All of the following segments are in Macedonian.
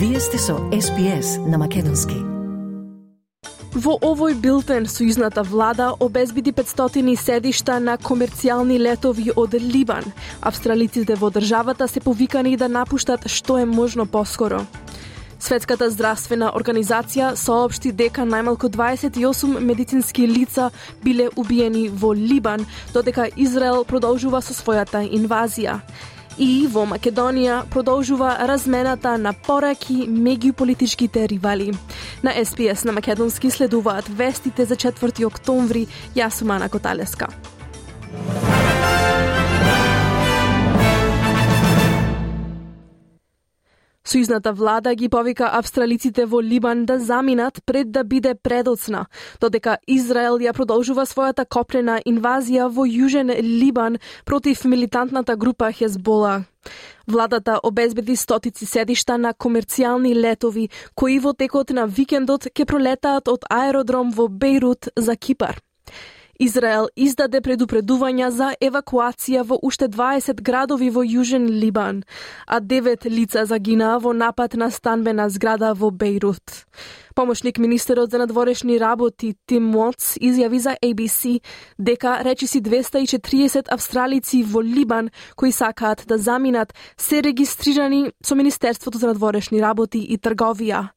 Вие сте со SPS на македонски. Во овој билтен сојузната влада обезбеди 500 седишта на комерцијални летови од Либан. Австралиците во државата се повикани да напуштат што е можно поскоро. Светската здравствена организација соопшти дека најмалку 28 медицински лица биле убиени во Либан, додека Израел продолжува со својата инвазија. И во Македонија продолжува размената на пораки меѓу политичките ривали. На SPS на македонски следуваат вестите за 4 октомври. Јас сум Ана Коталеска. Сојузната влада ги повика австралиците во Либан да заминат пред да биде предоцна, додека Израел ја продолжува својата копнена инвазија во јужен Либан против милитантната група Хезбола. Владата обезбеди стотици седишта на комерцијални летови, кои во текот на викендот ќе пролетаат од аеродром во Бејрут за Кипар. Израел издаде предупредувања за евакуација во уште 20 градови во јужен Либан, а 9 лица загинаа во напад на станбена зграда во Бејрут. Помошник министерот за надворешни работи Тим Уотс изјави за ABC дека речиси 240 австралици во Либан кои сакаат да заминат се регистрирани со Министерството за надворешни работи и трговија.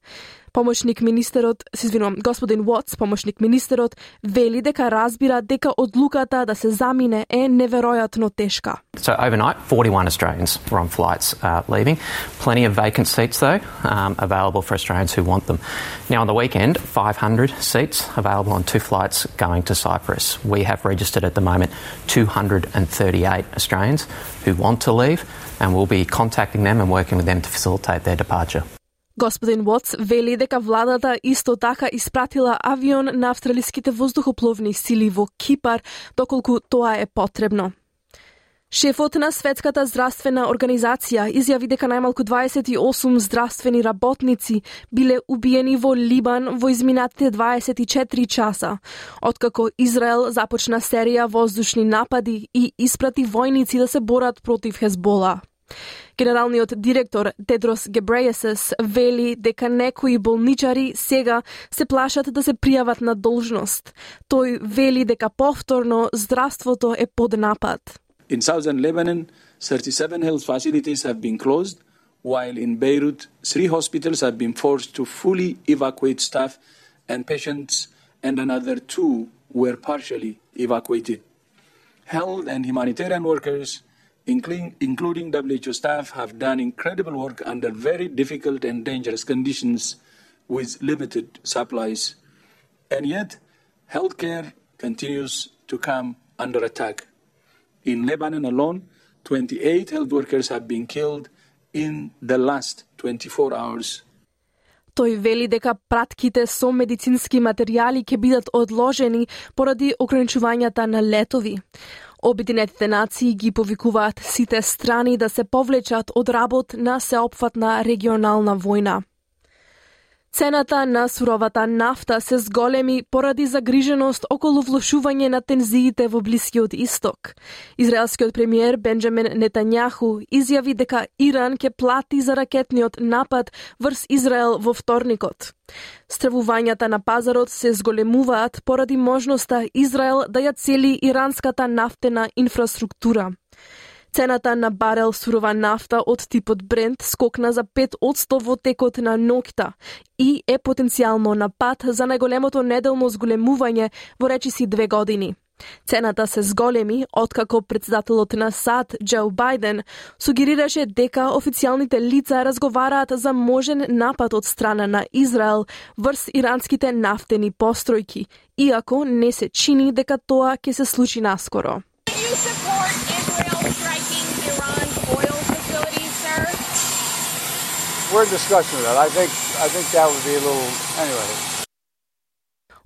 Господин Уотс, помошник министерот, вели дека разбира дека одлуката да се замине е неверојатно тешка. So overnight, 41 Australians were on flights leaving. Plenty of vacant seats though, available for Australians who want them. Now on the weekend, 500 seats available on 2 flights going to Cyprus. We have registered at the moment 238 Australians who want to leave, and we'll be contacting them and working with them to facilitate their departure. Господин Уотс вели дека владата исто така испратила авион на австралиските воздухопловни сили во Кипар, доколку тоа е потребно. Шефот на Светската здравствена организација изјави дека најмалку 28 здравствени работници биле убиени во Либан во изминатите 24 часа, откако Израел започна серија воздушни напади и испрати војници да се борат против Хезбола. Генералниот директор Тедрос Гебрејесус вели дека некои болничари сега се плашат да се пријават на должност. Тој вели дека повторно здравството е под напад. In southern Lebanon, 37 health facilities have been closed, while in Beirut, 3 hospitals have been forced to fully evacuate staff and patients, and another 2 were partially evacuated. Health and humanitarian workers, including WHO staff, have done incredible work under very difficult and dangerous conditions with limited supplies. And yet, healthcare continues to come under attack. In Lebanon alone, 28 health workers have been killed in the last 24 hours. Тој вели дека пратките со медицински материјали ќе бидат одложени поради ограничувањата на летови. Обединетите нации ги повикуваат сите страни да се повлечат од работ на сеопфатна регионална војна. Цената на суровата нафта се зголеми поради загриженост околу влошување на тензиите во Блискиот Исток. Израелскиот премиер Бенџамин Нетањаху изјави дека Иран ќе плати за ракетниот напад врз Израел во вторникот. Стравувањата на пазарот се зголемуваат поради можноста Израел да ја цели иранската нафтена инфраструктура. Цената на барел сурова нафта од типот Брент скокна за 5% во текот на ноќта и е потенцијално на пат за најголемото неделно зголемување во речиси 2 години. Цената се зголеми откако претседателот на САД Џо Бајден сугерираше дека официјалните лица разговараат за можен напад од страна на Израел врз иранските нафтени постројки, иако не се чини дека тоа ќе се случи наскоро. We're in discussion of that. I think that would be a little anyway.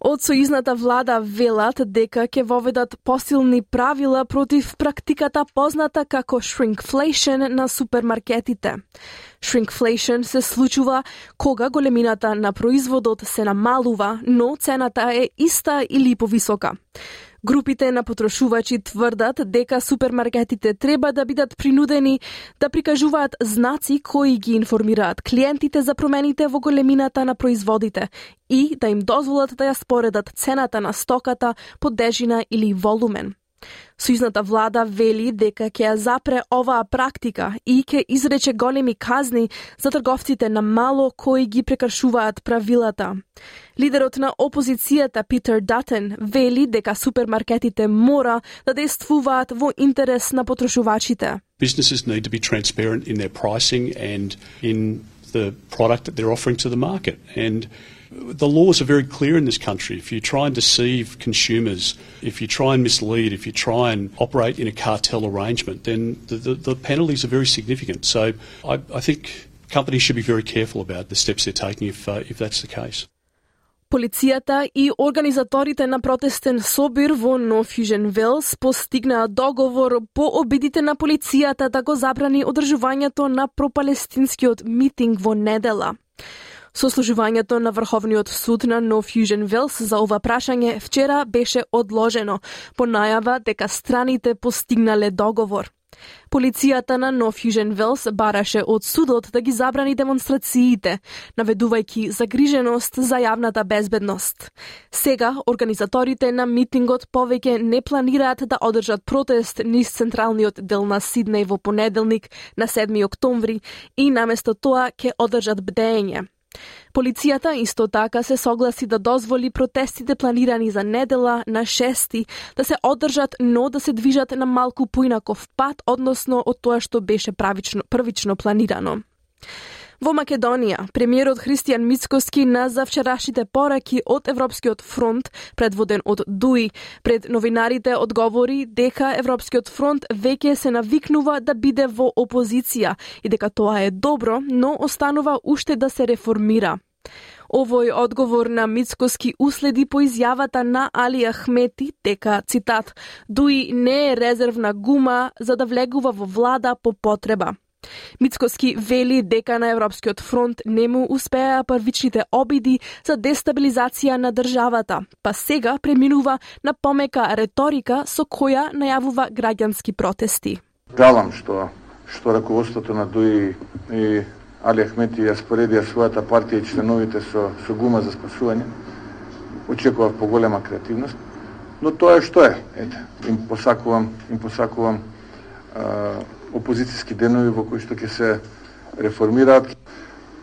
Од сојузната влада велат дека ќе воведат посилни правила против практиката позната како shrinkflation на супермаркетите. Shrinkflation се случува кога големината на производот се намалува, но цената е иста или повисока. Групите на потрошувачи тврдат дека супермаркетите треба да бидат принудени да прикажуваат знаци кои ги информираат клиентите за промените во големината на производите и да им дозволат да ја споредат цената на стоката по тежина или волумен. Сојузната влада вели дека ќе ја запре оваа практика и ќе изрече големи казни за трговците на мало кои ги прекршуваат правилата. Лидерот на опозицијата Питер Датен вели дека супермаркетите мора да действуваат во интерес на потрошувачите. Businesses need to be transparent in their pricing and in the product that they're offering to the market. And the laws are very clear in this country. If you try and deceive consumers, if you try and mislead, if you try and operate in a cartel arrangement, then the penalties are very significant. So I think companies should be very careful about the steps they're taking if that's the case. Полицијата и организаторите на протестен собир во North Fusion Wells постигнаа договор по обидите на полицијата да го забрани одржувањето на пропалестинскиот митинг во недела. Сослужувањето на Врховниот суд на North Fusion Wells за ова прашање вчера беше одложено по најава дека страните постигнале договор. Полицијата на North Fusion Wells бараше од судот да ги забрани демонстрациите, наведувајќи загриженост за јавната безбедност. Сега, организаторите на митингот повеќе не планираат да одржат протест низ централниот дел на Сиднеј во понеделник на 7 октомври и наместо тоа ќе одржат бдење. Полицијата исто така се согласи да дозволи протестите планирани за недела на 6 да се одржат, но да се движат на малку поинаков пат, односно од тоа што беше првично планирано. Во Македонија, премиерот Христијан Мицкоски на завчерашните пораки од Европскиот фронт, предводен од ДУИ, пред новинарите одговори дека Европскиот фронт веќе се навикнува да биде во опозиција и дека тоа е добро, но останува уште да се реформира. Овој одговор на Мицкоски уследи по изјавата на Али Ахмети дека, цитат, ДУИ не е резервна гума за да влегува во влада по потреба. Мицкоски вели дека на Европскиот фронт не му успеа првичните обиди за дестабилизација на државата, па сега преминува на помека реторика со која најавува граѓански протести. Жалам што раководството на ДУИ и Али Ахмети ја споредија својата партија и членовите со гума за спасување. Очекував поголема креативност, но тоа е што е. Ете, им посакувам опозицијски денови во кои што ќе се реформираат.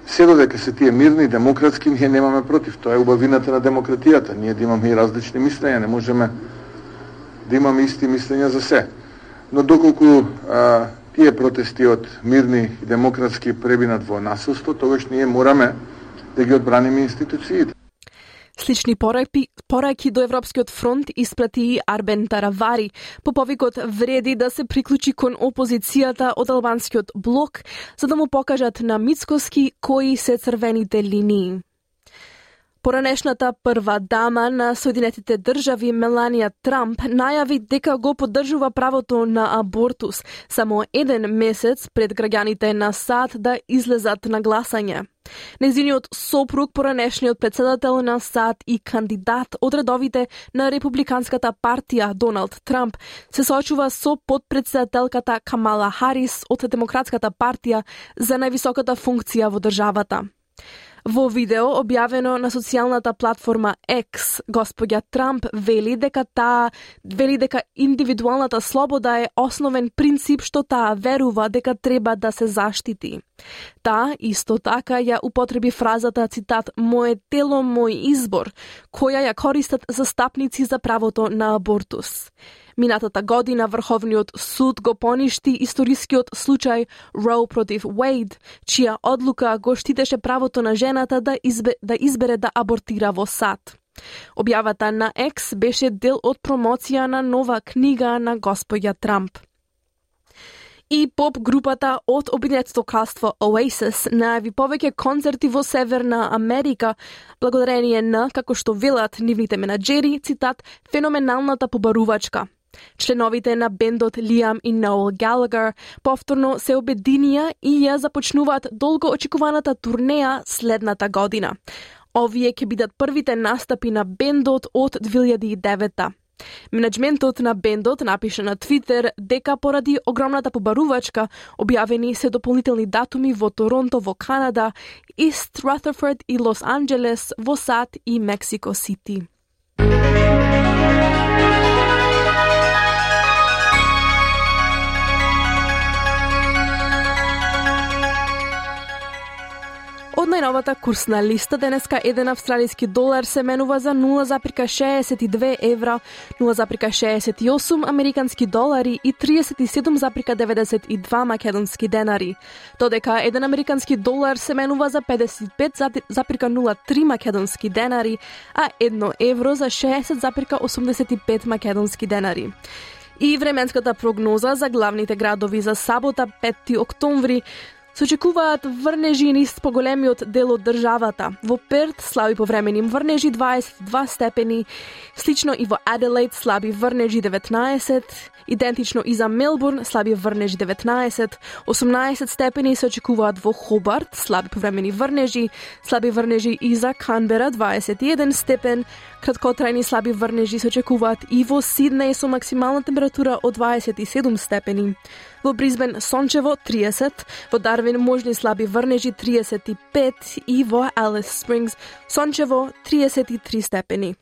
Се додека се тие мирни, демократски, ние немаме против. Тоа е убавината на демократијата. Ние да имаме и различни мислења, не можеме да имаме исти мислења за се. Но доколку тие протести од мирни и демократски пребинат во насилство, тогаш ние мораме да ги одбраниме институциите. Слични пораки до Европскиот фронт испрати и Арбен Таравари. По повикот вреди да се приклучи кон опозицијата од албанскиот блок, за да му покажат на Мицкоски кои се црвените линии. Поранешната прва дама на Соединетите држави Меланија Трамп најави дека го поддржува правото на абортус само еден месец пред граѓаните на САД да излезат на гласање. Нејзиниот сопруг, поранешниот претседател на САД и кандидат од редовите на Републиканската партија Доналд Трамп, се соочува со подпредседателката Камала Харис од Демократската партија за највисоката функција во државата. Во видео објавено на социјалната платформа X, господја Трамп вели дека индивидуалната слобода е основен принцип што таа верува дека треба да се заштити. Таа исто така ја употреби фразата, цитат, "Мое тело, мој избор", која ја користат застапници за правото на абортус. Минатата година Врховниот суд го поништи историскиот случај Роу против Уейд, чија одлука го штитеше правото на жената да избере да абортира во САД. Објавата на X беше дел од промоција на нова книга на господја Трамп. И поп групата од Обединетото кралство Oasis најави повеќе концерти во Северна Америка, благодарение на, како што велат нивните менаџери, цитат, феноменалната побарувачка. Членовите на бендот Лиам и Ноел Галагер повторно се обединија и ја започнуваат долго очекуваната турнеја следната година. Овие ќе бидат првите настапи на бендот од 2009. Менеджментот на бендот напиша на Твитер дека поради огромната побарувачка објавени се дополнителни датуми во Торонто во Канада, Ист Рутherford и Лос Анџелес во САД и Мексико Сити. Од најновата курсна листа денеска еден австралиски долар се менува за 0,62 евра, 0,68 американски долари и 37,92 македонски денари. Додека еден американски долар се менува за 55,03 македонски денари, а 1 евро за 60,85 македонски денари. И временската прогноза за главните градови за сабота 5 октомври се очекуваат врнежи низ поголемиот дел од државата. Во Перт слаби повремени врнежи 22 степени, слично и во Аделаид слаби врнежи 19, идентично и за Мелбурн слаби врнежи 19, 18 степени се очекуваат во Хобарт, слаби повремени врнежи и за Канбера 21 степен, краткотрајни слаби врнежи се очекуваат и во Сиднеј со максимална температура од 27 степени. Во Брисбен сончево 30, во Дарвин можни слаби врнежи 35 и во Алис Спрингс сончево 33 степени.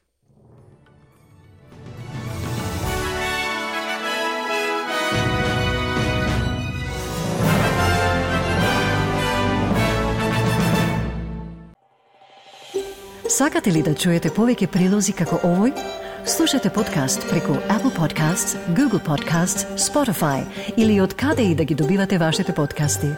Сакате ли да чуете повеќе прилози како овој? Слушате подкаст преку Apple Podcasts, Google Podcasts, Spotify или од каде и да ги добивате вашите подкасти.